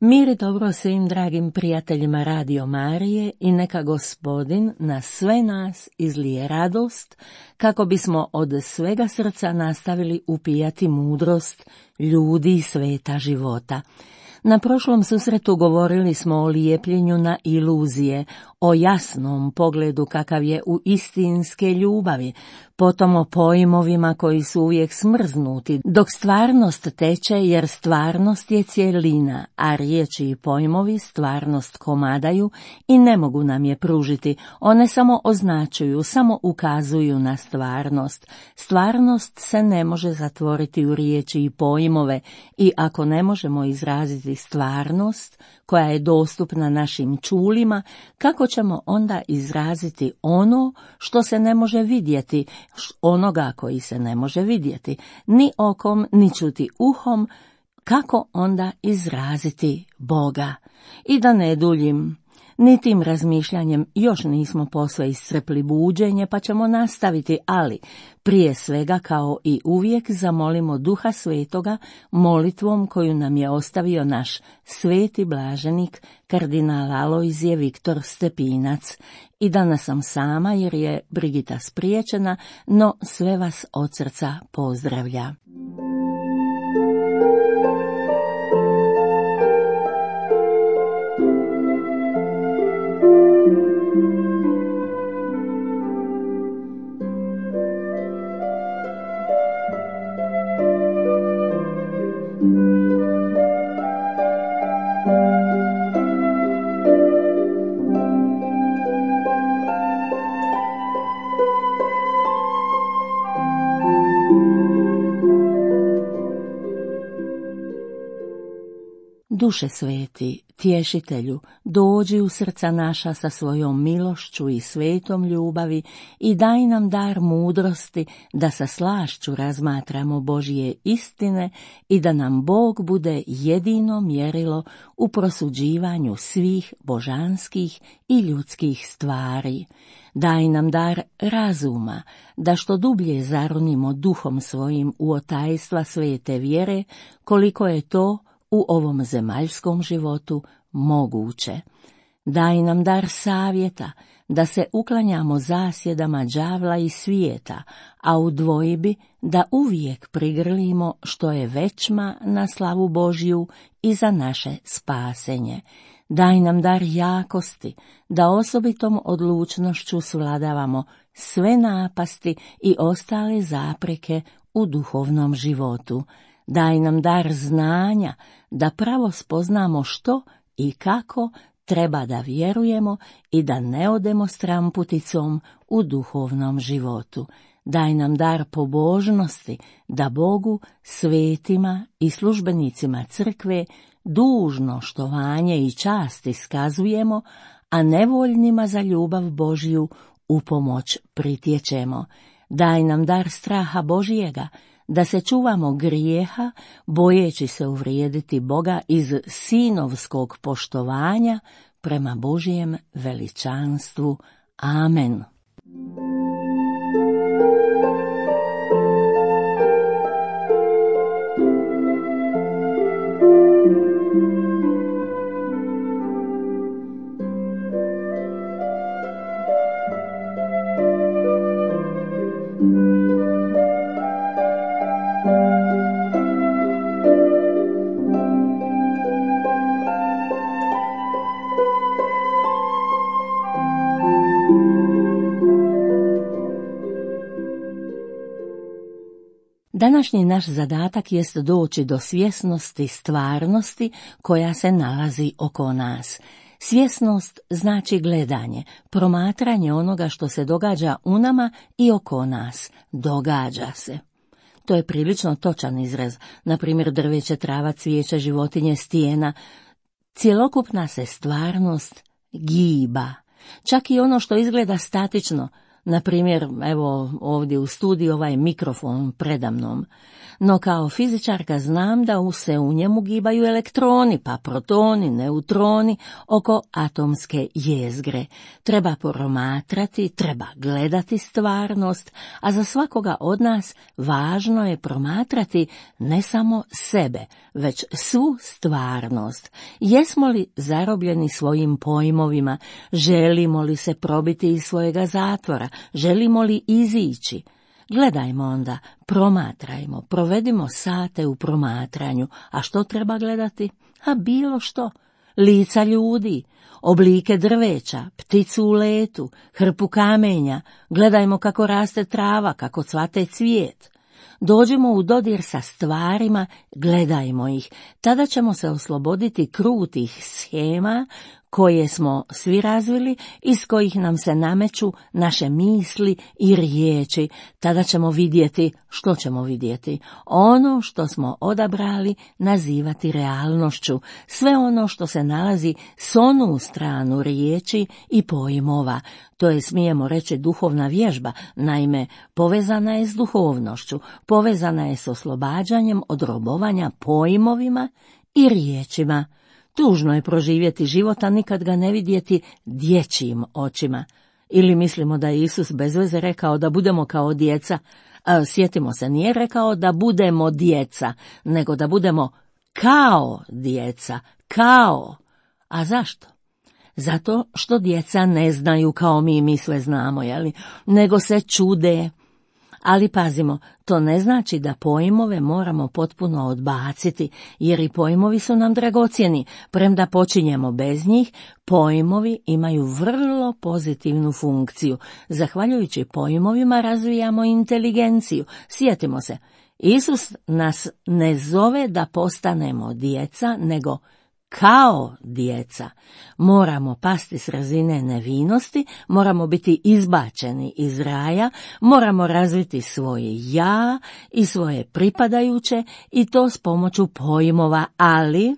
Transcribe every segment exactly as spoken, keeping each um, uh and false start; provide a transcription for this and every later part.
Mir i dobro svim dragim prijateljima Radio Marije i neka Gospodin na sve nas izlije radost, kako bismo od svega srca nastavili upijati mudrost ljudi i sveta života. Na prošlom susretu govorili smo o lijepljenju na iluzije, o jasnom pogledu kakav je u istinske ljubavi, potom o pojmovima koji su uvijek smrznuti, dok stvarnost teče jer stvarnost je cjelina, a riječi i pojmovi stvarnost komadaju i ne mogu nam je pružiti, one samo označuju, samo ukazuju na stvarnost. Stvarnost se ne može zatvoriti u riječi i pojmove i ako ne možemo izraziti stvarnost koja je dostupna našim čulima, kako ćemo onda izraziti ono što se ne može vidjeti, onoga koji se ne može vidjeti, ni okom, ni čuti uhom, kako onda izraziti Boga? I da ne duljim, ni tim razmišljanjem još nismo posve iscrpli buđenje, pa ćemo nastaviti, ali prije svega kao i uvijek zamolimo Duha Svetoga molitvom koju nam je ostavio naš sveti blaženik kardinal Alojzije Viktor Stepinac. I danas sam sama jer je Brigita spriječena, no sve vas od srca pozdravlja. Duše sveti, tješitelju, dođi u srca naša sa svojom milošću i svetom ljubavi i daj nam dar mudrosti da sa slašću razmatramo Božje istine i da nam Bog bude jedino mjerilo u prosuđivanju svih božanskih i ljudskih stvari. Daj nam dar razuma, da što dublje zaronimo duhom svojim u otajstva svete vjere, koliko je to u ovom zemaljskom životu moguće. Daj nam dar savjeta, da se uklanjamo zasjedama đavla i svijeta, a u dvojbi da uvijek prigrlimo što je većma na slavu Božju i za naše spasenje. Daj nam dar jakosti, da osobitom odlučnošću svladavamo sve napasti i ostale zapreke u duhovnom životu. Daj nam dar znanja, da pravo spoznamo što i kako treba da vjerujemo i da ne odemo stramputicom u duhovnom životu. Daj nam dar pobožnosti, da Bogu, svetima i službenicima crkve dužno štovanje i čast iskazujemo, a nevoljnima za ljubav Božju u pomoć pritječemo. Daj nam dar straha Božjega, da se čuvamo grijeha, bojeći se uvrijediti Boga iz sinovskog poštovanja prema Božjem veličanstvu. Amen. Današnji naš zadatak jest doći do svjesnosti stvarnosti koja se nalazi oko nas. Svjesnost znači gledanje, promatranje onoga što se događa u nama i oko nas. Događa se. To je prilično točan izraz, na primjer drveće, trava, cvijeće, životinje, stijena. Cjelokupna se stvarnost giba. Čak i ono što izgleda statično, Na primjer, evo ovdje u studiju ovaj mikrofon predamnom. No kao fizičarka znam da se u njemu gibaju elektroni, pa protoni, neutroni oko atomske jezgre. Treba promatrati, treba gledati stvarnost, a za svakoga od nas važno je promatrati ne samo sebe, već svu stvarnost. Jesmo li zarobljeni svojim pojmovima, želimo li se probiti iz svojega zatvora, želimo li izići? Gledajmo onda, promatrajmo, provedimo sate u promatranju. A što treba gledati? A bilo što. Lica ljudi, oblike drveća, pticu u letu, hrpu kamenja. Gledajmo kako raste trava, kako cvate cvijet. Dođimo u dodir sa stvarima, gledajmo ih. Tada ćemo se osloboditi krutih shema koje smo svi razvili, iz kojih nam se nameću naše misli i riječi. Tada ćemo vidjeti, što ćemo vidjeti? Ono što smo odabrali nazivati realnošću, sve ono što se nalazi s onu stranu riječi i pojmova. To je, smijemo reći, duhovna vježba, naime, povezana je s duhovnošću, povezana je s oslobađanjem od robovanja pojmovima i riječima. Tužno je proživjeti život, a nikad ga ne vidjeti dječjim očima. Ili mislimo da je Isus bez veze rekao da budemo kao djeca. A, sjetimo se, nije rekao da budemo djeca, nego da budemo kao djeca, kao. A zašto? Zato što djeca ne znaju kao mi, mi sve znamo, jeli? Nego se čude. Ali pazimo, to ne znači da pojmove moramo potpuno odbaciti, jer i pojmovi su nam dragocjeni. Premda počinjemo bez njih, pojmovi imaju vrlo pozitivnu funkciju. Zahvaljujući pojmovima razvijamo inteligenciju. Sjetimo se, Isus nas ne zove da postanemo djeca, nego kao djeca. Moramo pasti s razine nevinosti, moramo biti izbačeni iz raja, moramo razviti svoje ja i svoje pripadajuće i to s pomoću pojmova, ali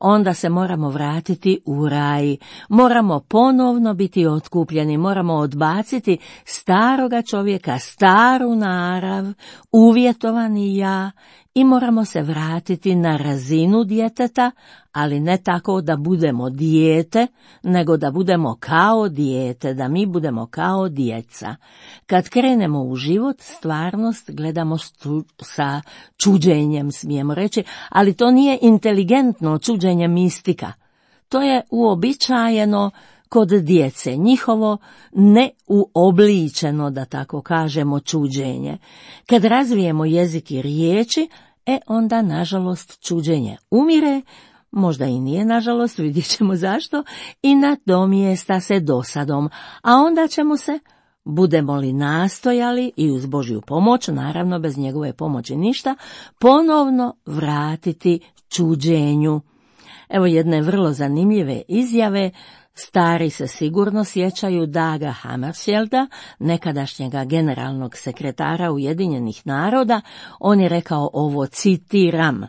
onda se moramo vratiti u raj, moramo ponovno biti otkupljeni, moramo odbaciti staroga čovjeka, staru narav, uvjetovani ja i moramo se vratiti na razinu djeteta, ali ne tako da budemo dijete, nego da budemo kao dijete, da mi budemo kao djeca. Kad krenemo u život, stvarnost gledamo sa čuđenjem, smijemo reći, ali to nije inteligentno čuđenje mistika. To je uobičajeno kod djece, njihovo neuobličeno, da tako kažemo, čuđenje. Kad razvijemo jezik i riječi, e onda, nažalost, čuđenje umire, možda i nije, nažalost, vidjet ćemo zašto, i nadomjesta se dosadom, a onda ćemo se, budemo li nastojali i uz Božju pomoć, naravno bez njegove pomoći ništa, ponovno vratiti čuđenju. Evo jedne vrlo zanimljive izjave. Stari se sigurno sjećaju Daga Hammarskjölda, nekadašnjega generalnog sekretara Ujedinjenih naroda. On je rekao ovo, citiram: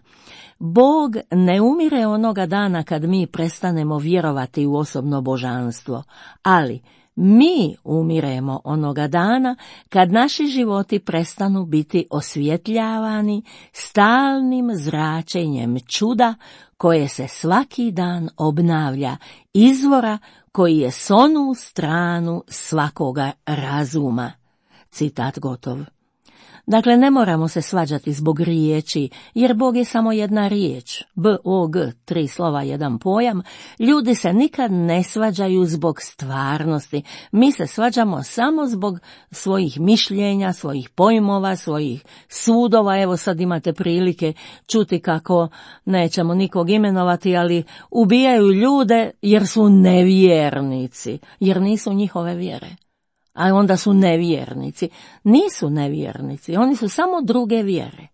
Bog ne umire onoga dana kad mi prestanemo vjerovati u osobno božanstvo, ali mi umiremo onoga dana kad naši životi prestanu biti osvjetljavani stalnim zračenjem čuda koje se svaki dan obnavlja, izvora koji je s onu stranu svakoga razuma. Citat gotov. Dakle, ne moramo se svađati zbog riječi, jer Bog je samo jedna riječ, B O G, tri slova, jedan pojam. Ljudi se nikad ne svađaju zbog stvarnosti, mi se svađamo samo zbog svojih mišljenja, svojih pojmova, svojih sudova. Evo sad imate prilike čuti kako, nećemo nikog imenovati, ali ubijaju ljude jer su nevjernici, jer nisu njihove vjere. A onda su nevjernici. Nisu nevjernici, oni su samo druge vjere.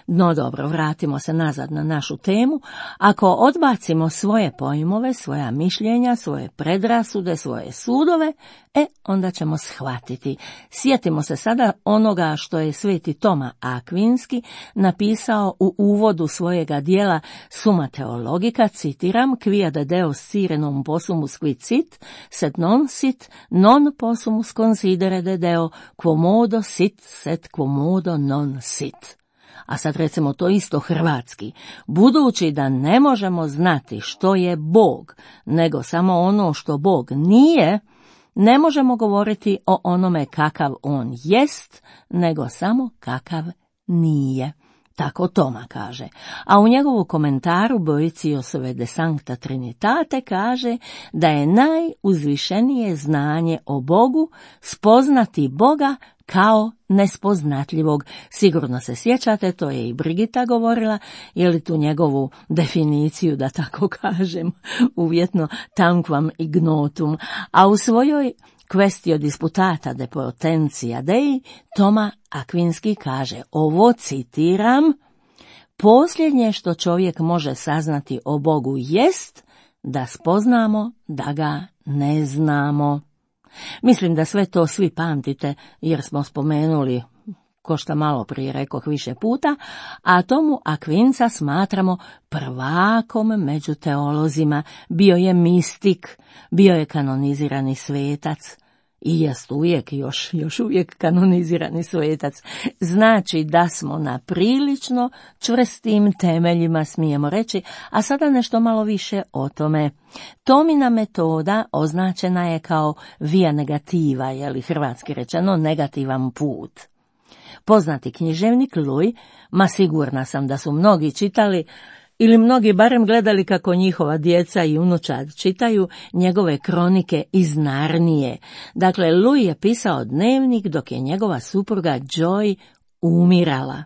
No dobro, vratimo se nazad na našu temu. Ako odbacimo svoje pojmove, svoja mišljenja, svoje predrasude, svoje sudove, e, onda ćemo shvatiti. Sjetimo se sada onoga što je sveti Toma Akvinski napisao u uvodu svojega dijela Summa Theologica, citiram, quia de Deus sire non possumus quid sit, sed non sit, non possumus considere de Deo, quomodo sit, sed quomodo non sit. A sad recimo to isto hrvatski. Budući da ne možemo znati što je Bog, nego samo ono što Bog nije, ne možemo govoriti o onome kakav on jest, nego samo kakav nije. Tako Toma kaže. A u njegovu komentaru Boetiusove De Sancta Trinitate kaže da je najuzvišenije znanje o Bogu spoznati Boga kao nespoznatljivog. Sigurno se sjećate, to je i Brigita govorila, je li tu njegovu definiciju, da tako kažem, uvjetno tanquam ignotum, a u svojoj Quaestio disputata de potentia Dei Toma Akvinski kaže, ovo citiram, posljednje što čovjek može saznati o Bogu jest da spoznamo da ga ne znamo. Mislim da sve to svi pamtite, jer smo spomenuli, ko što malo prije rekoh više puta, a Tomu Akvinca smatramo prvakom među teolozima. Bio je mistik, bio je kanonizirani svetac i jest uvijek, još, još uvijek kanonizirani svetac. Znači da smo na prilično čvrstim temeljima, smijemo reći, a sada nešto malo više o tome. Tomina metoda označena je kao via negativa, je li hrvatski rečeno negativan put. Poznati književnik Luj, ma sigurna sam da su mnogi čitali, ili mnogi barem gledali kako njihova djeca i unučad čitaju njegove kronike iz Narnije. Dakle, Luj je pisao dnevnik dok je njegova supruga Joy umirala.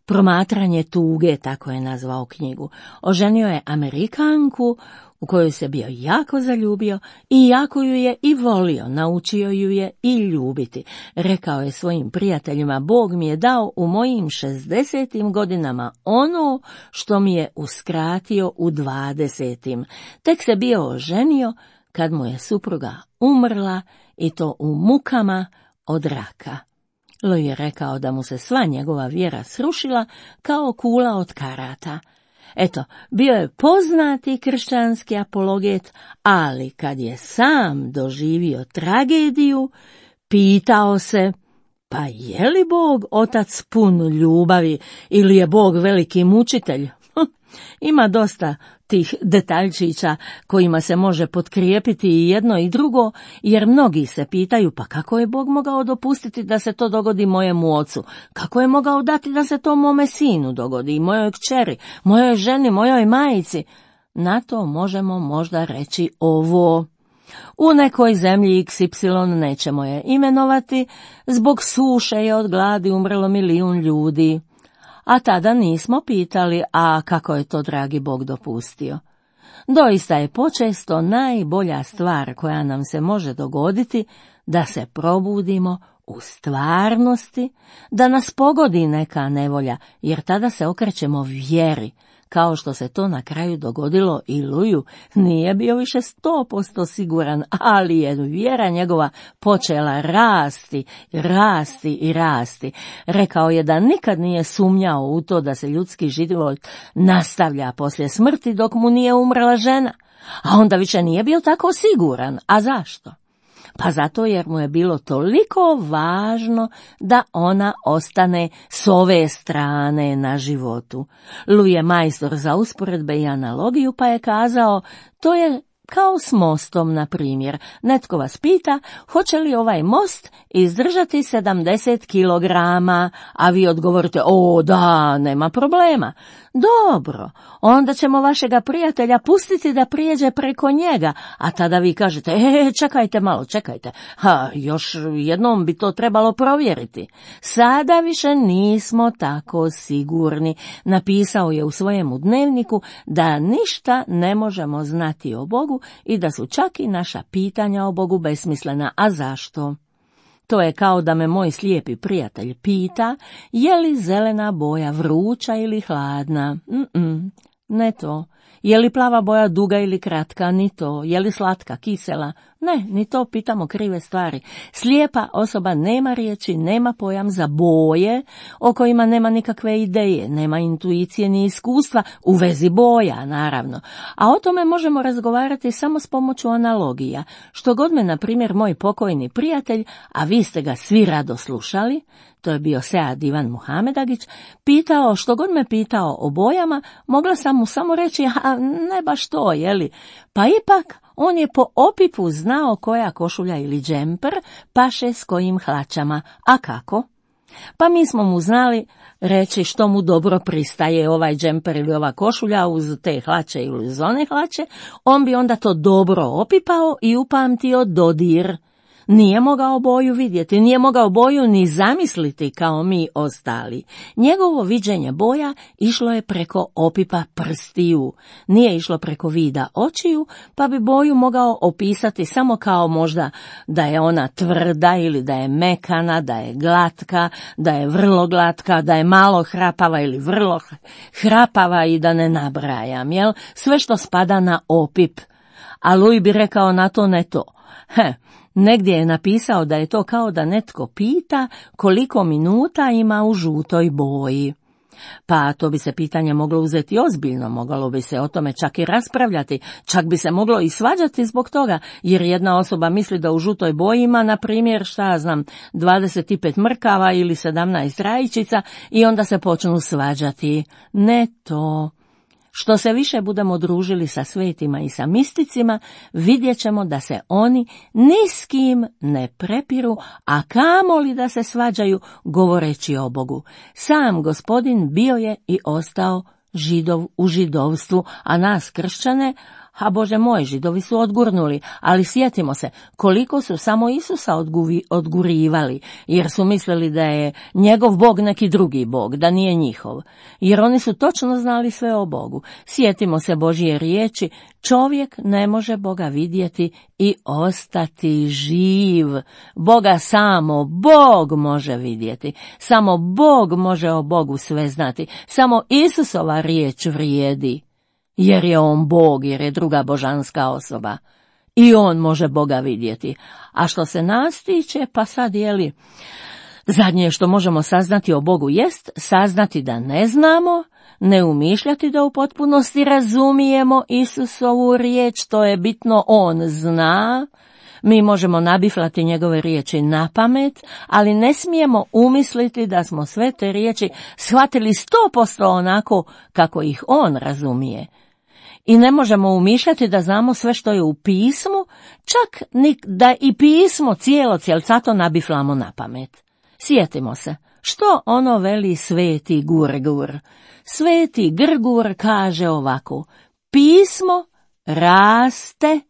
Promatranje tuge, tako je nazvao knjigu. Oženio je Amerikanku u koju se bio jako zaljubio i jako ju je i volio, naučio ju je i ljubiti. Rekao je svojim prijateljima, Bog mi je dao u mojim šezdesetim godinama ono što mi je uskratio u dvadesetim. Tek se bio oženio kad mu je supruga umrla i to u mukama od raka. Luj je rekao da mu se sva njegova vjera srušila kao kula od karata. Eto, bio je poznati kršćanski apologet, ali kad je sam doživio tragediju, pitao se, pa je li Bog otac pun ljubavi ili je Bog veliki mučitelj? Ima dosta tih detaljčića kojima se može potkrijepiti i jedno i drugo, jer mnogi se pitaju, pa kako je Bog mogao dopustiti da se to dogodi mojemu ocu? Kako je mogao dati da se to mome sinu dogodi, i mojoj kćeri, mojoj ženi, mojoj majici? Na to možemo možda reći ovo. U nekoj zemlji iks ipsilon, nećemo je imenovati, zbog suše je od gladi umrlo milijun ljudi. A tada nismo pitali, a kako je to dragi Bog dopustio. Doista je počesto najbolja stvar koja nam se može dogoditi da se probudimo u stvarnosti, da nas pogodi neka nevolja, jer tada se okrećemo vjeri, kao što se to na kraju dogodilo i Luju. Nije bio više sto posto siguran, ali je vjera njegova počela rasti, rasti i rasti. Rekao je da nikad nije sumnjao u to da se ljudski život nastavlja poslije smrti dok mu nije umrla žena, a onda više nije bio tako siguran. A zašto? Pa zato jer mu je bilo toliko važno da ona ostane s ove strane na životu. Luj je majstor za usporedbe i analogiju, pa je kazao, to je kao s mostom, na primjer. Netko vas pita, hoće li ovaj most izdržati sedamdeset kilograma, a vi odgovorite, o da, nema problema. Dobro, onda ćemo vašega prijatelja pustiti da prijeđe preko njega, a tada vi kažete, e, čekajte malo, čekajte, ha, još jednom bi to trebalo provjeriti. Sada više nismo tako sigurni. Napisao je u svojemu dnevniku da ništa ne možemo znati o Bogu i da su čak i naša pitanja o Bogu besmislena. A zašto? To je kao da me moj slijepi prijatelj pita je li zelena boja vruća ili hladna. Mm-mm, ne to. Je li plava boja duga ili kratka? Ni to. Je li slatka, kisela? Ne, ni to, pitamo krive stvari. Slijepa osoba nema riječi, nema pojam za boje o kojima nema nikakve ideje, nema intuicije ni iskustva u vezi boja, naravno. A o tome možemo razgovarati samo s pomoću analogija. Što god me, na primjer, moj pokojni prijatelj, a vi ste ga svi rado slušali, to je bio Sead Ivan Muhamedagić, pitao, što god me pitao o bojama, mogla sam mu samo reći, a ne baš to, jeli? Pa ipak, on je po opipu znao koja košulja ili džemper paše s kojim hlačama. A kako? Pa mi smo mu znali reći što mu dobro pristaje ovaj džemper ili ova košulja uz te hlače ili uz one hlače, on bi onda to dobro opipao i upamtio dodir. Nije mogao boju vidjeti, nije mogao boju ni zamisliti kao mi ostali. Njegovo viđenje boja išlo je preko opipa prstiju, nije išlo preko vida očiju, pa bi boju mogao opisati samo kao možda da je ona tvrda ili da je mekana, da je glatka, da je vrlo glatka, da je malo hrapava ili vrlo hrapava i da ne nabrajam, jel? Sve što spada na opip. A Luj bi rekao na to ne to. He, negdje je napisao da je to kao da netko pita koliko minuta ima u žutoj boji. Pa to bi se pitanje moglo uzeti ozbiljno, moglo bi se o tome čak i raspravljati, čak bi se moglo i svađati zbog toga, jer jedna osoba misli da u žutoj boji ima, na primjer, šta ja znam, dvadeset pet mrkava ili sedamnaest rajčica i onda se počnu svađati. Ne to. Što se više budemo družili sa svetima i sa misticima, vidjet ćemo da se oni ni s kim ne prepiru, a kamoli da se svađaju govoreći o Bogu. Sam Gospodin bio je i ostao Židov u židovstvu, a nas kršćane, a Bože moj, Židovi su odgurnuli, ali sjetimo se koliko su samo Isusa odguvi, odgurivali, jer su mislili da je njegov Bog neki drugi Bog, da nije njihov, jer oni su točno znali sve o Bogu. Sjetimo se Božje riječi, čovjek ne može Boga vidjeti i ostati živ. Boga samo Bog može vidjeti, samo Bog može o Bogu sve znati, samo Isusova riječ vrijedi. Jer je on Bog, jer je druga božanska osoba. I on može Boga vidjeti. A što se nas tiče, pa sad je li, zadnje što možemo saznati o Bogu jest saznati da ne znamo, ne umišljati da u potpunosti razumijemo Isusovu riječ, to je bitno, on zna. Mi možemo nabiflati njegove riječi na pamet, ali ne smijemo umisliti da smo sve te riječi shvatili sto posto onako kako ih on razumije. I ne možemo umišljati da znamo sve što je u pismu, čak ni da i pismo cijelo cijelcato nabiflamo na pamet. Sjetimo se, što ono veli sveti Gurgur. Sveti Grgur kaže ovako, pismo raste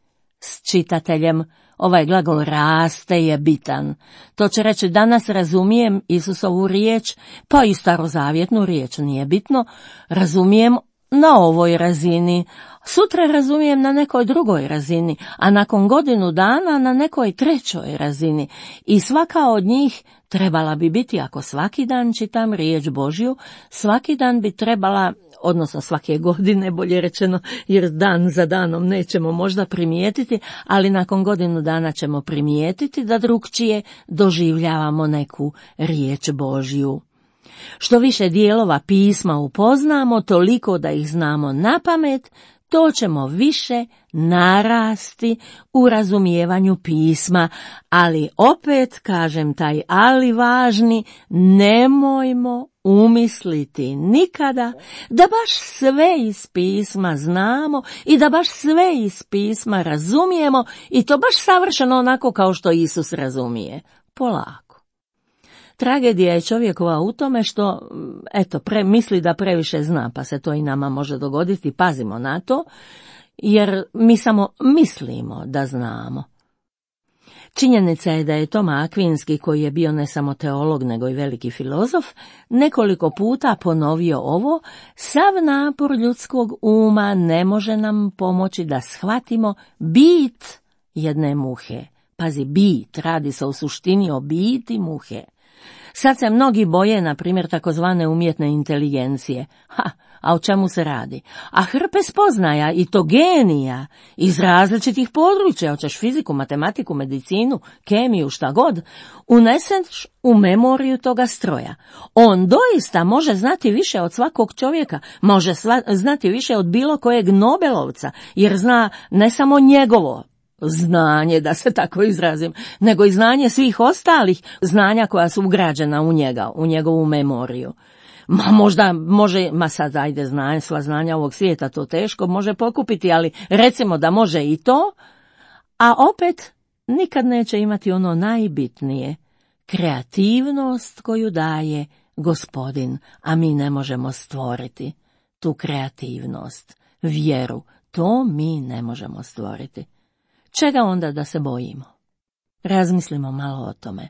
s čitateljem. Ovaj glagol raste je bitan. To će reći danas razumijem Isusovu riječ, pa i starozavjetnu riječ, nije bitno, razumijem na ovoj razini, sutra razumijem na nekoj drugoj razini, a nakon godinu dana na nekoj trećoj razini. I svaka od njih trebala bi biti, ako svaki dan čitam riječ Božju, svaki dan bi trebala, odnosno svake godine, bolje rečeno, jer dan za danom nećemo možda primijetiti, ali nakon godinu dana ćemo primijetiti da drukčije doživljavamo neku riječ Božju. Što više dijelova pisma upoznamo, toliko da ih znamo na pamet, to ćemo više narasti u razumijevanju pisma, ali opet, kažem taj ali važni, nemojmo umisliti nikada da baš sve iz pisma znamo i da baš sve iz pisma razumijemo i to baš savršeno onako kao što Isus razumije. Polako. Tragedija je čovjekova u tome što, eto, pre, misli da previše zna, pa se to i nama može dogoditi, pazimo na to, jer mi samo mislimo da znamo. Činjenica je da je Toma Akvinski, koji je bio ne samo teolog, nego i veliki filozof, nekoliko puta ponovio ovo, sav napor ljudskog uma ne može nam pomoći da shvatimo bit jedne muhe. Pazi, bit, radi se u suštini o biti muhe. Sad se mnogi boje, na primjer, takozvane umjetne inteligencije. Ha, a o čemu se radi? A hrpe spoznaja, i to genija, iz različitih područja, hoćeš fiziku, matematiku, medicinu, kemiju, šta god, uneseš u memoriju toga stroja. On doista može znati više od svakog čovjeka, može sva, znati više od bilo kojeg Nobelovca, jer zna ne samo njegovo znanje, da se tako izrazim, nego i znanje svih ostalih znanja koja su ugrađena u njega, u njegovu memoriju. Ma možda može, ma sad ajde znanje, sva znanja ovog svijeta, to teško može pokupiti, ali recimo da može i to, a opet nikad neće imati ono najbitnije, kreativnost koju daje Gospodin, a mi ne možemo stvoriti tu kreativnost, vjeru, to mi ne možemo stvoriti. Čega onda da se bojimo? Razmislimo malo o tome.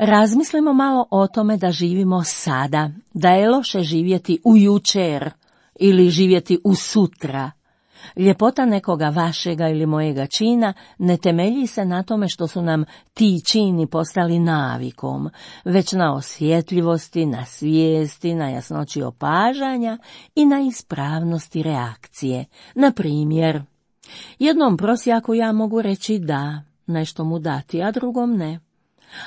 Razmislimo malo o tome da živimo sada, da je loše živjeti u jučer ili živjeti u sutra. Ljepota nekoga vašega ili mojega čina ne temelji se na tome što su nam ti čini postali navikom, već na osjetljivosti, na svijesti, na jasnoći opažanja i na ispravnosti reakcije. Na primjer, jednom prosjaku ja mogu reći da, nešto mu dati, a drugom ne.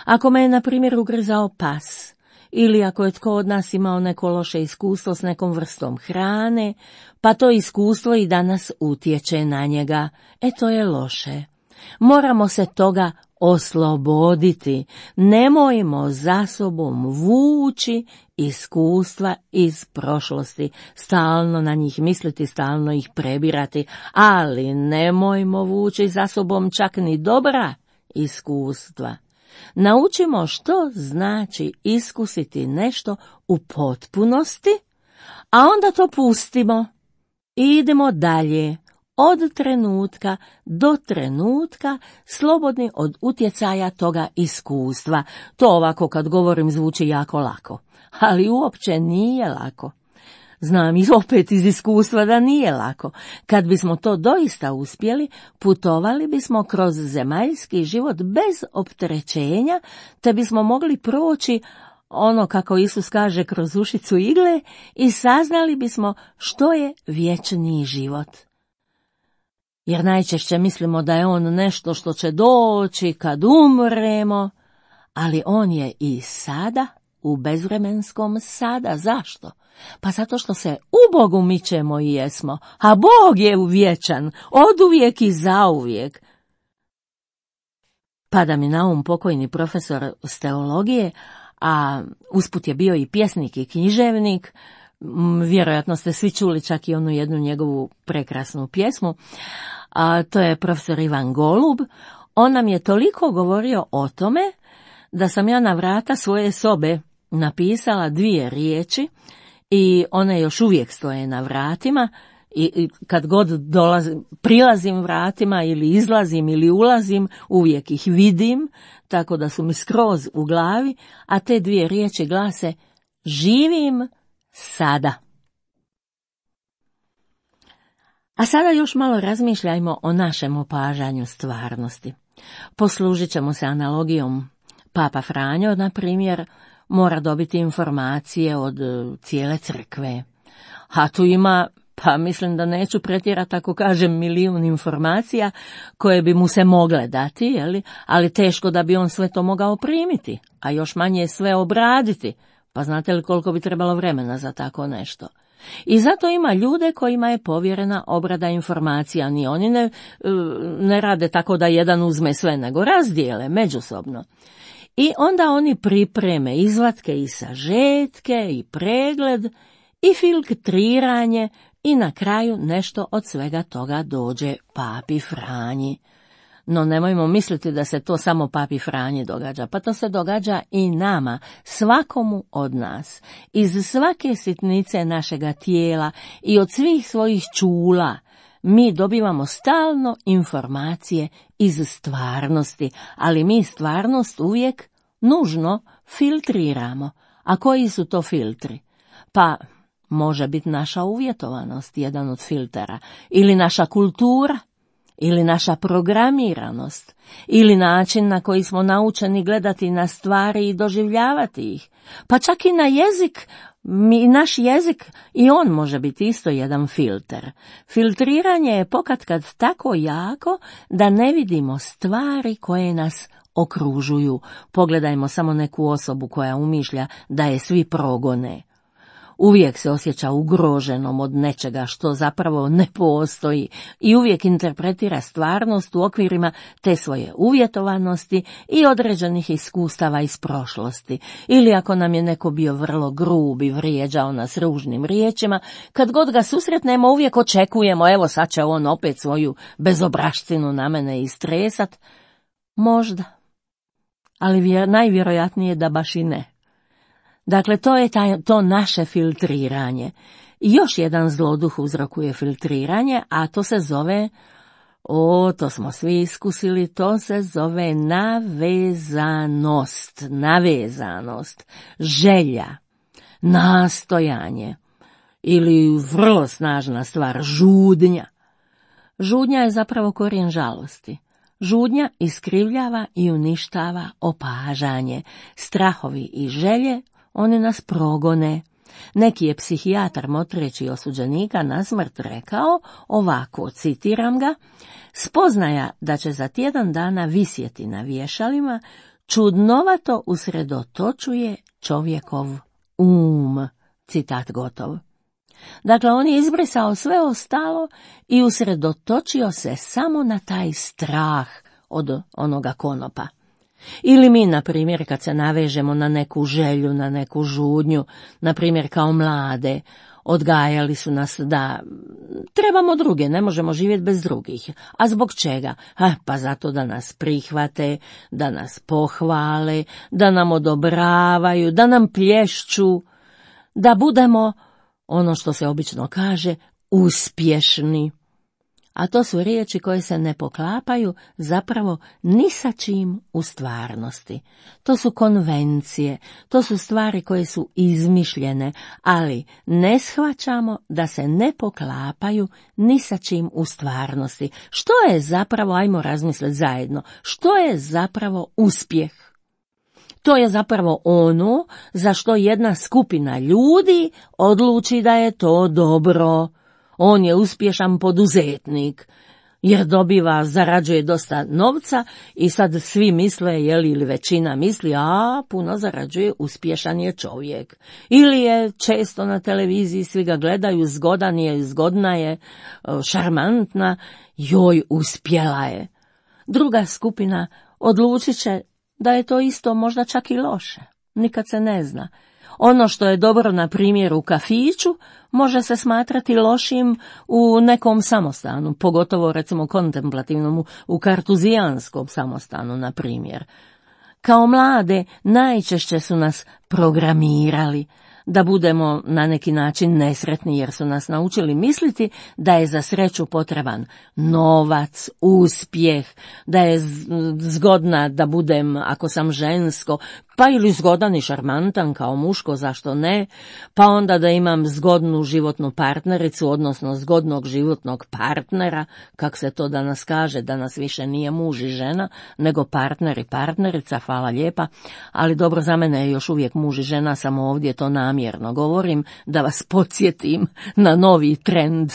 Ako me je, na primjer, ugrizao pas ili ako je tko od nas imao neko loše iskustvo s nekom vrstom hrane, pa to iskustvo i danas utječe na njega. E, to je loše. Moramo se toga osloboditi. Nemojmo za sobom vući iskustva iz prošlosti, stalno na njih misliti, stalno ih prebirati, ali nemojmo vući za sobom čak ni dobra iskustva. Naučimo što znači iskusiti nešto u potpunosti, a onda to pustimo i idemo dalje. Od trenutka do trenutka, slobodni od utjecaja toga iskustva. To ovako kad govorim zvuči jako lako, ali uopće nije lako. Znam i opet iz iskustva da nije lako. Kad bismo to doista uspjeli, putovali bismo kroz zemaljski život bez opterećenja, te bismo mogli proći ono, kako Isus kaže, kroz ušicu igle i saznali bismo što je vječni život. Jer najčešće mislimo da je on nešto što će doći kad umremo, ali on je i sada, u bezvremenskom sada. Zašto? Pa zato što se u Bogu mičemo i jesmo, a Bog je vječan, oduvijek i zauvijek. Pada mi na um pokojni profesor s teologije, a usput je bio i pjesnik i književnik. Vjerojatno ste svi čuli čak i onu jednu njegovu prekrasnu pjesmu, a to je profesor Ivan Golub. On nam je toliko govorio o tome da sam ja na vrata svoje sobe napisala dvije riječi i one još uvijek stoje na vratima i, i kad god dolazim, prilazim vratima ili izlazim ili ulazim, uvijek ih vidim, tako da su mi skroz u glavi, a te dvije riječi glase: živim sada. A sada još malo razmišljajmo o našem opažanju stvarnosti. Poslužit ćemo se analogijom. Papa Franjo, na primjer, mora dobiti informacije od cijele crkve. A tu ima, pa mislim da neću pretjerati ako kažem milijun informacija koje bi mu se mogle dati, jeli? Ali teško da bi on sve to mogao primiti, a još manje sve obraditi. Pa znate li koliko bi trebalo vremena za tako nešto? I zato ima ljude kojima je povjerena obrada informacija, ni oni ne, ne rade tako da jedan uzme sve, nego razdijele međusobno. I onda oni pripreme izvatke i sažetke i pregled i filtriranje i na kraju nešto od svega toga dođe Papi Franji. No nemojmo misliti da se to samo Papi Franji događa, pa to se događa i nama, svakomu od nas. Iz svake sitnice našega tijela i od svih svojih čula mi dobivamo stalno informacije iz stvarnosti, ali mi stvarnost uvijek nužno filtriramo. A koji su to filtri? Pa može biti naša uvjetovanost, jedan od filtera, ili naša kultura, ili naša programiranost, ili način na koji smo naučeni gledati na stvari i doživljavati ih. Pa čak i na jezik, mi, naš jezik, i on može biti isto jedan filter. Filtriranje je pokatkad tako jako da ne vidimo stvari koje nas okružuju. Pogledajmo samo neku osobu koja umišlja da je svi progone. Uvijek se osjeća ugroženom od nečega što zapravo ne postoji i uvijek interpretira stvarnost u okvirima te svoje uvjetovanosti i određenih iskustava iz prošlosti. Ili ako nam je neko bio vrlo grub i vrijeđao nas ružnim riječima, kad god ga susretnemo uvijek očekujemo, evo sad će on opet svoju bezobraštinu na mene istresat. Možda, ali vjer, najvjerojatnije da baš i ne. Dakle, to je taj, to naše filtriranje. I još jedan zloduh uzrokuje filtriranje, a to se zove, o, to smo svi iskusili, to se zove navezanost, navezanost, želja, nastojanje ili vrlo snažna stvar, žudnja. Žudnja je zapravo korijen žalosti. Žudnja iskrivljava i uništava opažanje, strahovi i želje, oni nas progone. Neki je psihijatar motreći osuđenika na smrt rekao, ovako, citiram ga, spoznaja da će za tjedan dana visjeti na vješalima, čudnovato usredotočuje čovjekov um, citat gotov. Dakle, on je izbrisao sve ostalo i usredotočio se samo na taj strah od onoga konopa. Ili mi, na primjer, kad se navežemo na neku želju, na neku žudnju, na primjer kao mlade, odgajali su nas da trebamo druge, ne možemo živjeti bez drugih. A zbog čega? Ha, pa zato da nas prihvate, da nas pohvale, da nam odobravaju, da nam plješću, da budemo, ono što se obično kaže, uspješni. A to su riječi koje se ne poklapaju zapravo ni sa čim u stvarnosti. To su konvencije, to su stvari koje su izmišljene, ali ne shvaćamo da se ne poklapaju ni sa čim u stvarnosti. Što je zapravo, ajmo razmisliti zajedno, što je zapravo uspjeh? To je zapravo ono za što jedna skupina ljudi odluči da je to dobro. On je uspješan poduzetnik, jer dobiva, zarađuje dosta novca i sad svi misle, jeli, ili većina misli, a puno zarađuje, uspješan je čovjek. Ili je često na televiziji, svi ga gledaju, zgodan je, zgodna je, šarmantna, joj, uspjela je. Druga skupina odlučit će da je to isto možda čak i loše, nikad se ne zna. Ono što je dobro, na primjer, u kafiću, može se smatrati lošim u nekom samostanu, pogotovo recimo kontemplativnom, u kartuzijanskom samostanu, na primjer. Kao mlade najčešće su nas programirali da budemo na neki način nesretni, jer su nas naučili misliti da je za sreću potreban novac, uspjeh, da je zgodna da budem, ako sam žensko, pa ili zgodan i šarmantan kao muško, zašto ne, pa onda da imam zgodnu životnu partnericu, odnosno zgodnog životnog partnera, kak se to danas kaže, danas više nije muž i žena, nego partner i partnerica, hvala lijepa, ali dobro, za mene je još uvijek muž i žena, samo ovdje to namjerno govorim, da vas podsjetim na novi trend.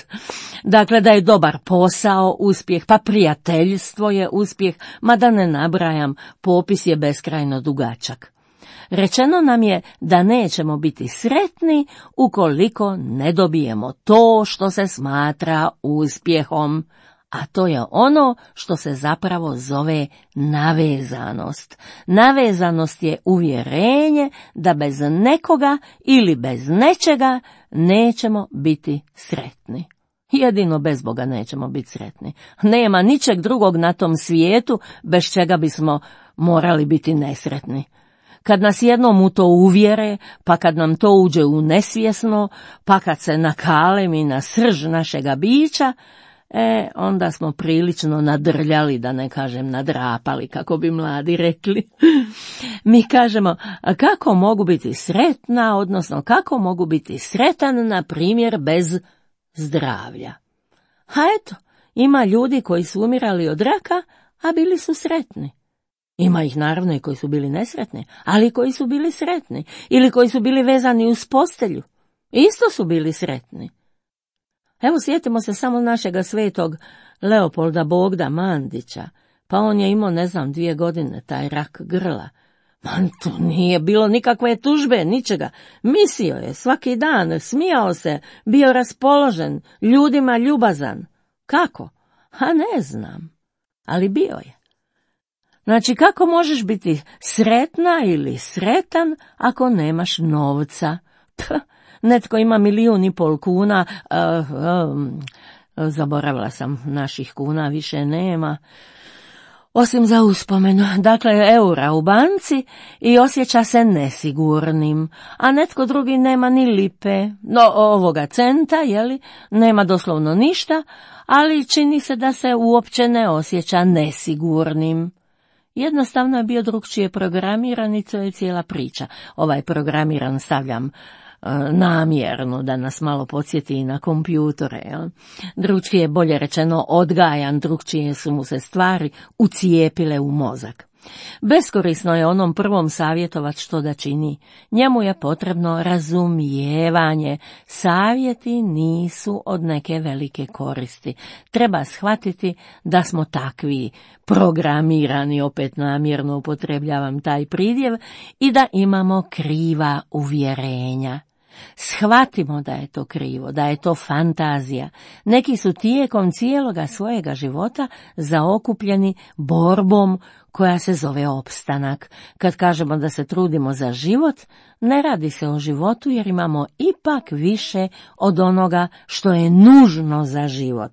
Dakle, da je dobar posao uspjeh, pa prijateljstvo je uspjeh, ma da ne nabrajam, popis je beskrajno dugačak. Rečeno nam je da nećemo biti sretni ukoliko ne dobijemo to što se smatra uspjehom, a to je ono što se zapravo zove navezanost. Navezanost je uvjerenje da bez nekoga ili bez nečega nećemo biti sretni. Jedino bez Boga nećemo biti sretni. Nema ničeg drugog na tom svijetu bez čega bismo morali biti nesretni. Kad nas jednom u to uvjere, pa kad nam to uđe u nesvjesno, pa kad se nakalemi na srž našega bića, e, onda smo prilično nadrljali, da ne kažem nadrapali, kako bi mladi rekli. Mi kažemo, kako mogu biti sretna, odnosno kako mogu biti sretan, na primjer, bez zdravlja. A eto, ima ljudi koji su umirali od raka, a bili su sretni. Ima ih naravno i koji su bili nesretni, ali koji su bili sretni, ili koji su bili vezani uz postelju, isto su bili sretni. Evo, sjetimo se samo našega svetog Leopolda Bogda Mandića, pa on je imao, ne znam, dvije godine taj rak grla. Man, to nije bilo nikakve tužbe, ničega. Mislio je svaki dan, smijao se, bio raspoložen, ljudima ljubazan. Kako? A ne znam, ali bio je. Znači, kako možeš biti sretna ili sretan ako nemaš novca? Ph, netko ima milijun i pol kuna, uh, um, zaboravila sam, naših kuna više nema, osim za uspomenu, dakle eura u banci, i osjeća se nesigurnim, a netko drugi nema ni lipe, no ovoga centa, jeli, nema doslovno ništa, ali čini se da se uopće ne osjeća nesigurnim. Jednostavno je bio drugčije programiran i to je cijela priča. Ovaj programiran stavljam e, namjerno da nas malo podsjeti i na kompjutore. Jel? Drugčije je, bolje rečeno, odgajan, drugčije su mu se stvari ucijepile u mozak. Beskorisno je onom prvom savjetovat što da čini. Njemu je potrebno razumijevanje. Savjeti nisu od neke velike koristi. Treba shvatiti da smo takvi, programirani, opet namjerno upotrebljavam taj pridjev, i da imamo kriva uvjerenja. Shvatimo da je to krivo, da je to fantazija. Neki su tijekom cijeloga svojega života zaokupljeni borbom koja se zove opstanak. Kad kažemo da se trudimo za život, ne radi se o životu jer imamo ipak više od onoga što je nužno za život.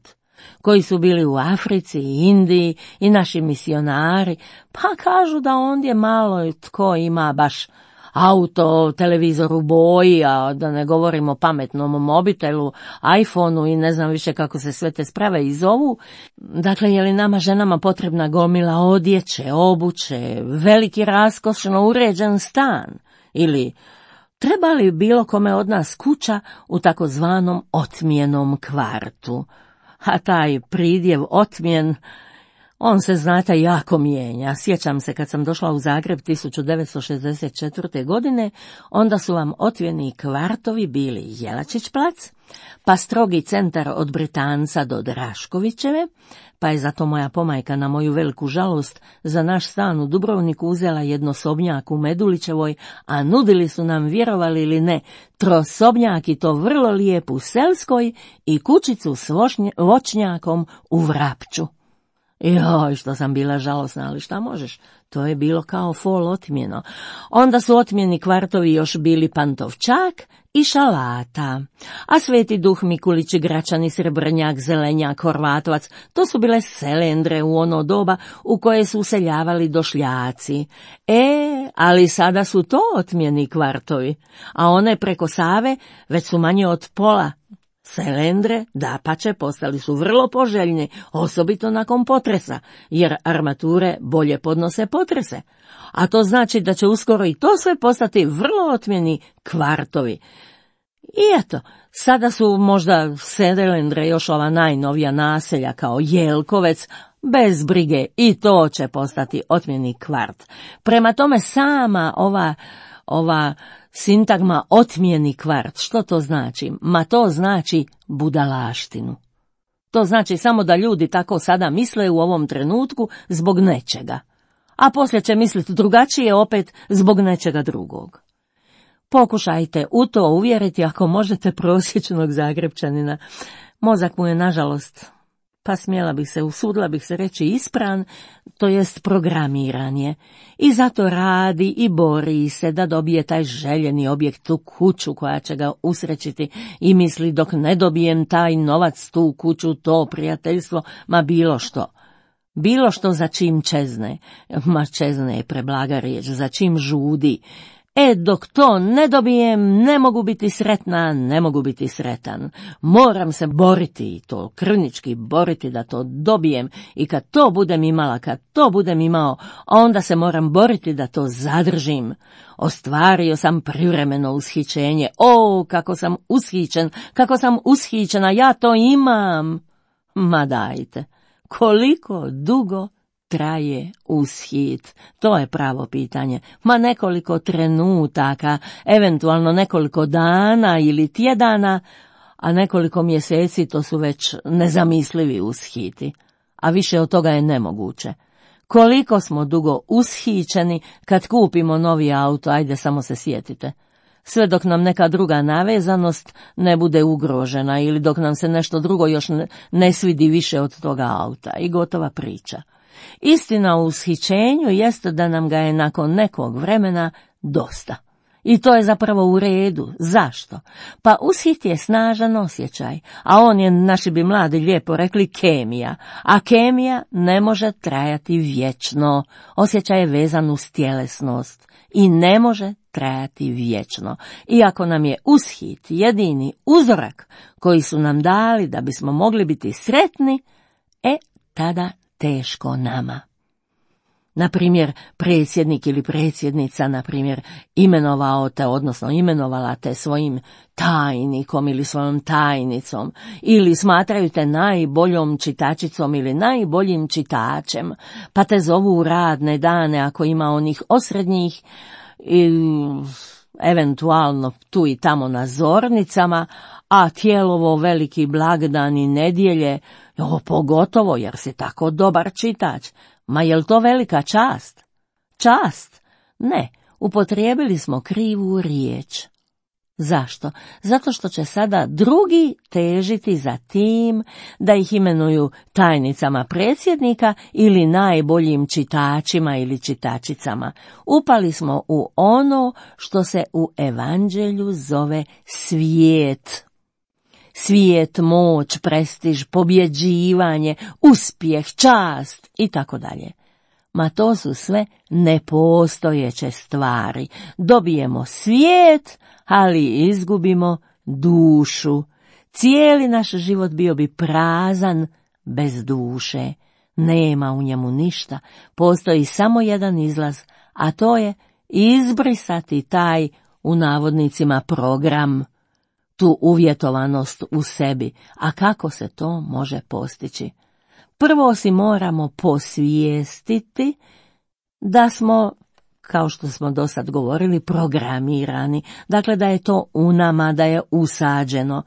Koji su bili u Africi i Indiji i naši misionari, pa kažu da ondje malo tko ima baš auto, televizor u boji, a da ne govorimo o pametnom mobitelu, iPhoneu i ne znam više kako se sve te sprave i zovu. Dakle, je li nama ženama potrebna gomila odjeće, obuće, veliki raskošno uređen stan? Ili treba li bilo kome od nas kuća u takozvanom otmijenom kvartu? A taj pridjev otmijen, on se, znate, jako mijenja. Sjećam se kad sam došla u Zagreb tisuću devetsto šezdeset četvrte. godine, onda su vam otmjeni kvartovi bili Jelačić plac, pa strogi centar od Britanca do Draškovićeve, pa je zato moja pomajka na moju veliku žalost za naš stan u Dubrovniku uzela jednosobnjak u Medulićevoj, a nudili su nam, vjerovali ili ne, trosobnjak i to vrlo lijep u Selskoj i kućicu s vošnje, voćnjakom u Vrapču. Joj, što sam bila žalosna, ali šta možeš, to je bilo kao fol otmjeno. Onda su otmjeni kvartovi još bili Pantovčak i Šalata, a Sveti Duh, Mikulić, Gračani, Srebrnjak, Zelenjak, Horvatovac, to su bile selendre u ono doba u koje su useljavali došljaci. E, ali sada su to otmjeni kvartovi, a one preko Save već su manje od pola. Selendre, dapače, postali su vrlo poželjni, osobito nakon potresa, jer armature bolje podnose potrese. A to znači da će uskoro i to sve postati vrlo otmjeni kvartovi. I eto, sada su možda selendre još ova najnovija naselja kao Jelkovec, bez brige i to će postati otmjeni kvart. Prema tome sama ova, ova sintagma otmjeni kvart, što to znači? Ma to znači budalaštinu. To znači samo da ljudi tako sada misle u ovom trenutku zbog nečega, a poslije će misliti drugačije opet zbog nečega drugog. Pokušajte u to uvjeriti ako možete prosječnog Zagrepčanina. Mozak mu je, nažalost, pa smjela bih se, usudila bih se reći, ispran, to jest programiran je. I zato radi i bori se da dobije taj željeni objekt, tu kuću koja će ga usrećiti, i misli dok ne dobijem taj novac, tu kuću, to prijateljstvo, ma bilo što. Bilo što za čim čezne, ma čezne je preblaga riječ, za čim žudi. E, dok to ne dobijem, ne mogu biti sretna, ne mogu biti sretan. Moram se boriti, i to krvnički boriti da to dobijem, i kad to budem imala, kad to budem imao, onda se moram boriti da to zadržim. Ostvario sam privremeno ushićenje. O, kako sam ushićen, kako sam ushićena, ja to imam. Ma dajte, koliko dugo traje ushit? To je pravo pitanje. Ma nekoliko trenutaka, eventualno nekoliko dana ili tjedana, a nekoliko mjeseci to su već nezamislivi ushiti. A više od toga je nemoguće. Koliko smo dugo ushićeni kad kupimo novi auto, ajde samo se sjetite. Sve dok nam neka druga navezanost ne bude ugrožena ili dok nam se nešto drugo još ne, ne svidi više od toga auta, i gotova priča. Istina u ushićenju jeste da nam ga je nakon nekog vremena dosta. I to je zapravo u redu. Zašto? Pa ushit je snažan osjećaj, a on je, naši bi mladi lijepo rekli, kemija. A kemija ne može trajati vječno. Osjećaj je vezan uz tjelesnost i ne može trajati vječno. Iako nam je ushit jedini uzorak koji su nam dali da bismo mogli biti sretni, e, tada teško nama. Na primjer, predsjednik ili predsjednica, na primjer, imenovao te, odnosno imenovala te svojim tajnikom ili svojom tajnicom, ili smatraju te najboljom čitačicom ili najboljim čitačem, pa te zovu u radne dane ako ima onih osrednjih, i eventualno tu i tamo na zornicama, a Tjelovo veliki blagdan i nedjelje, jo, pogotovo jer si tako dobar čitač. Ma jel to velika čast? Čast? Ne, upotrijebili smo krivu riječ. Zašto? Zato što će sada drugi težiti za tim da ih imenuju tajnicama predsjednika ili najboljim čitačima ili čitačicama. Upali smo u ono što se u evanđelju zove svijet. Svijet, moć, prestiž, pobjeđivanje, uspjeh, čast i tako dalje. Ma to su sve nepostojeće stvari. Dobijemo svijet, ali izgubimo dušu. Cijeli naš život bio bi prazan bez duše. Nema u njemu ništa. Postoji samo jedan izlaz, a to je izbrisati taj, u navodnicima, program, tu uvjetovanost u sebi. A kako se to može postići? Prvo si moramo posvijestiti da smo, kao što smo do sad govorili, programirani. Dakle, da je to u nama, da je usađeno.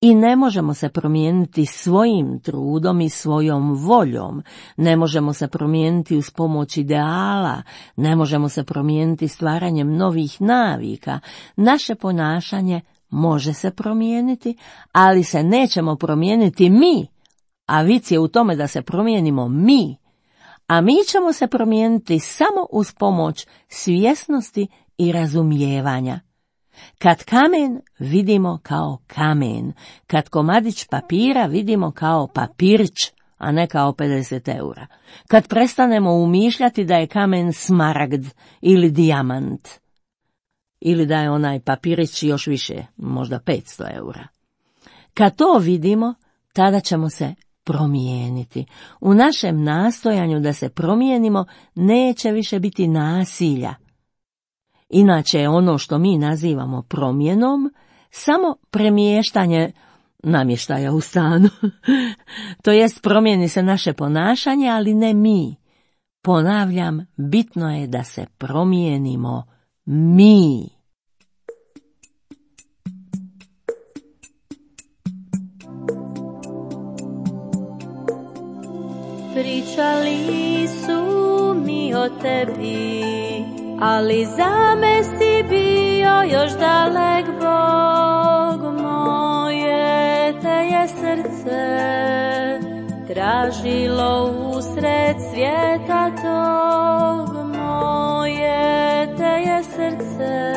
I ne možemo se promijeniti svojim trudom i svojom voljom. Ne možemo se promijeniti uz pomoć ideala. Ne možemo se promijeniti stvaranjem novih navika. Naše ponašanje može se promijeniti, ali se nećemo promijeniti mi. A vic je u tome da se promijenimo mi. A mi ćemo se promijeniti samo uz pomoć svjesnosti i razumijevanja. Kad kamen vidimo kao kamen, kad komadić papira vidimo kao papirić, a ne kao pedeset eura. Kad prestanemo umišljati da je kamen smaragd ili dijamant, ili da je onaj papirić još više, možda petsto eura. Kad to vidimo, tada ćemo se promijeniti. U našem nastojanju da se promijenimo neće više biti nasilja. Inače je ono što mi nazivamo promjenom samo premještanje namještaja u stanu. To jest, promijeni se naše ponašanje, ali ne mi. Ponavljam, bitno je da se promijenimo mi. Pričali su mi o tebi, ali za me si bio još dalek Bog. Moje te je srce tražilo usred svijeta tog. Moje te je srce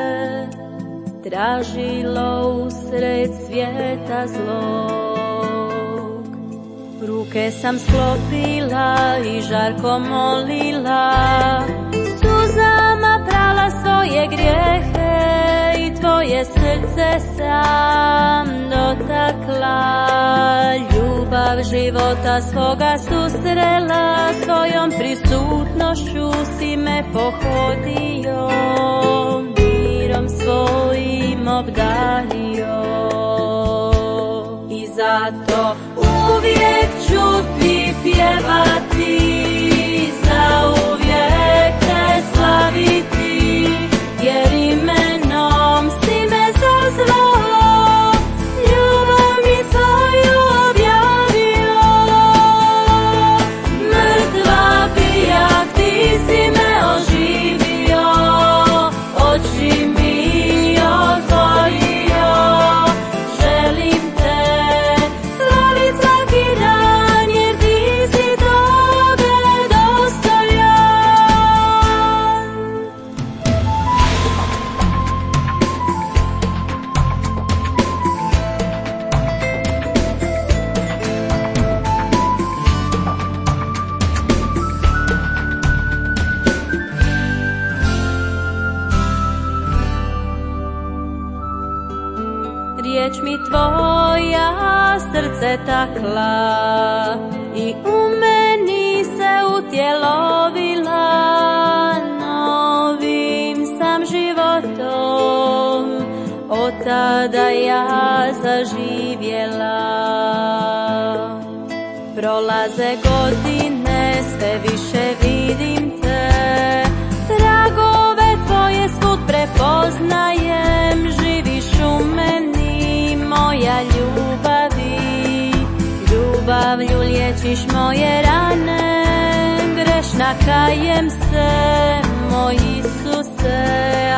tražilo usred svijeta zlog. Ruke sam sklopila i žarko molila, suzama prala svoje grijehe i tvoje srce sam dotakla. Ljubav života svoga susrela, svojom prisutnošću si me pohodio, mirom svojim obdario. I zato uvijek ću ti pjevati, zauvijek te slaviti, jer imenom si me zazvao, ljubav mi svoju objavio. Mrtva bijak, ti si me oživio, oči mi otvorio. Želim te slavit svaki dan, jer ti si toga dostojan. Riječ mi tvoja srce takla i u meni se utjelovila, novim sam životom od tada ja zaživjela. Prolaze godine, sve više vidim te, tragove tvoje svud prepoznajem, živiš u meni, moja ljubavi, ljubavlju liječiš moje rane, grešna kajem se, moj Isuse,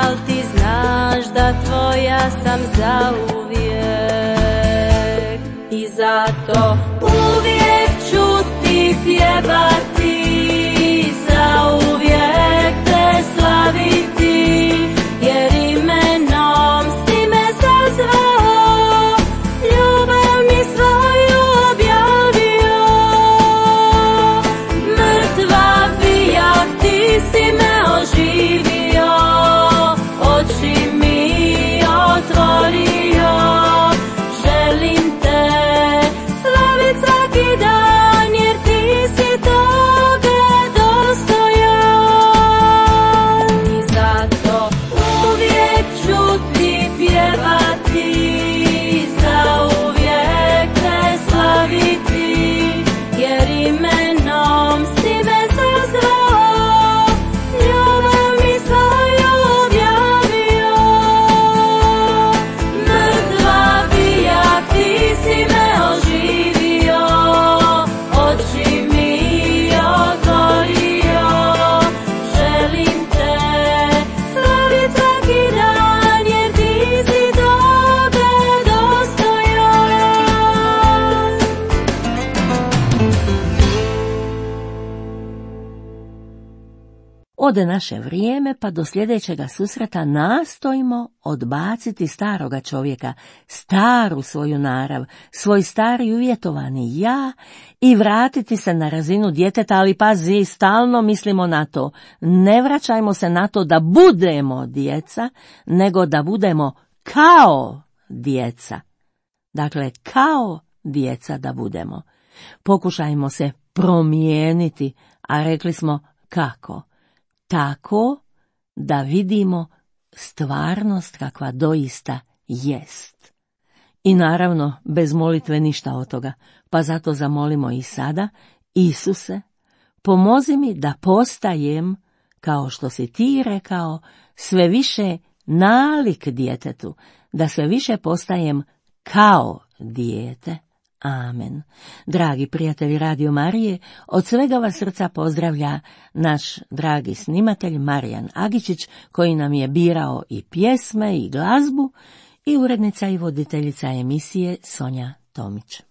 al ti znaš da tvoja sam zauvijek. I zato uvijek ću ti pjevati, zauvijek te slaviti, jer imenom si me zazvao, ljubav mi svoju objavio. Mrtva bijak, ti si me oživio, oči mi otvorio, želim te slavit svaki dan, jer ti si toga dostojan. I zato uvijek ću ti pjevati, zauvijek te slaviti, jer imenom si me zazvao, ljubav mi svoju objavio. Mrtva bijak, ti si me oživio, oči mi otvorio, želim te slavit svaki dan, jer ti si toga dostojan. Ode naše vrijeme, pa do sljedećega susreta nastojimo odbaciti staroga čovjeka, staru svoju narav, svoj stari uvjetovani ja i vratiti se na razinu djeteta, ali pazi, stalno mislimo na to. Ne vraćajmo se na to da budemo djeca, nego da budemo kao djeca. Dakle, kao djeca da budemo. Pokušajmo se promijeniti, a rekli smo kako? Tako da vidimo stvarnost kakva doista jest. I naravno, bez molitve ništa od toga, pa zato zamolimo i sada, Isuse, pomozi mi da postajem, kao što si ti rekao, sve više nalik djetetu, da sve više postajem kao dijete. Amen. Dragi prijatelji Radio Marije, od svega vas srca pozdravlja naš dragi snimatelj Marijan Agičić, koji nam je birao i pjesme i glazbu, i urednica i voditeljica emisije Sonja Tomić.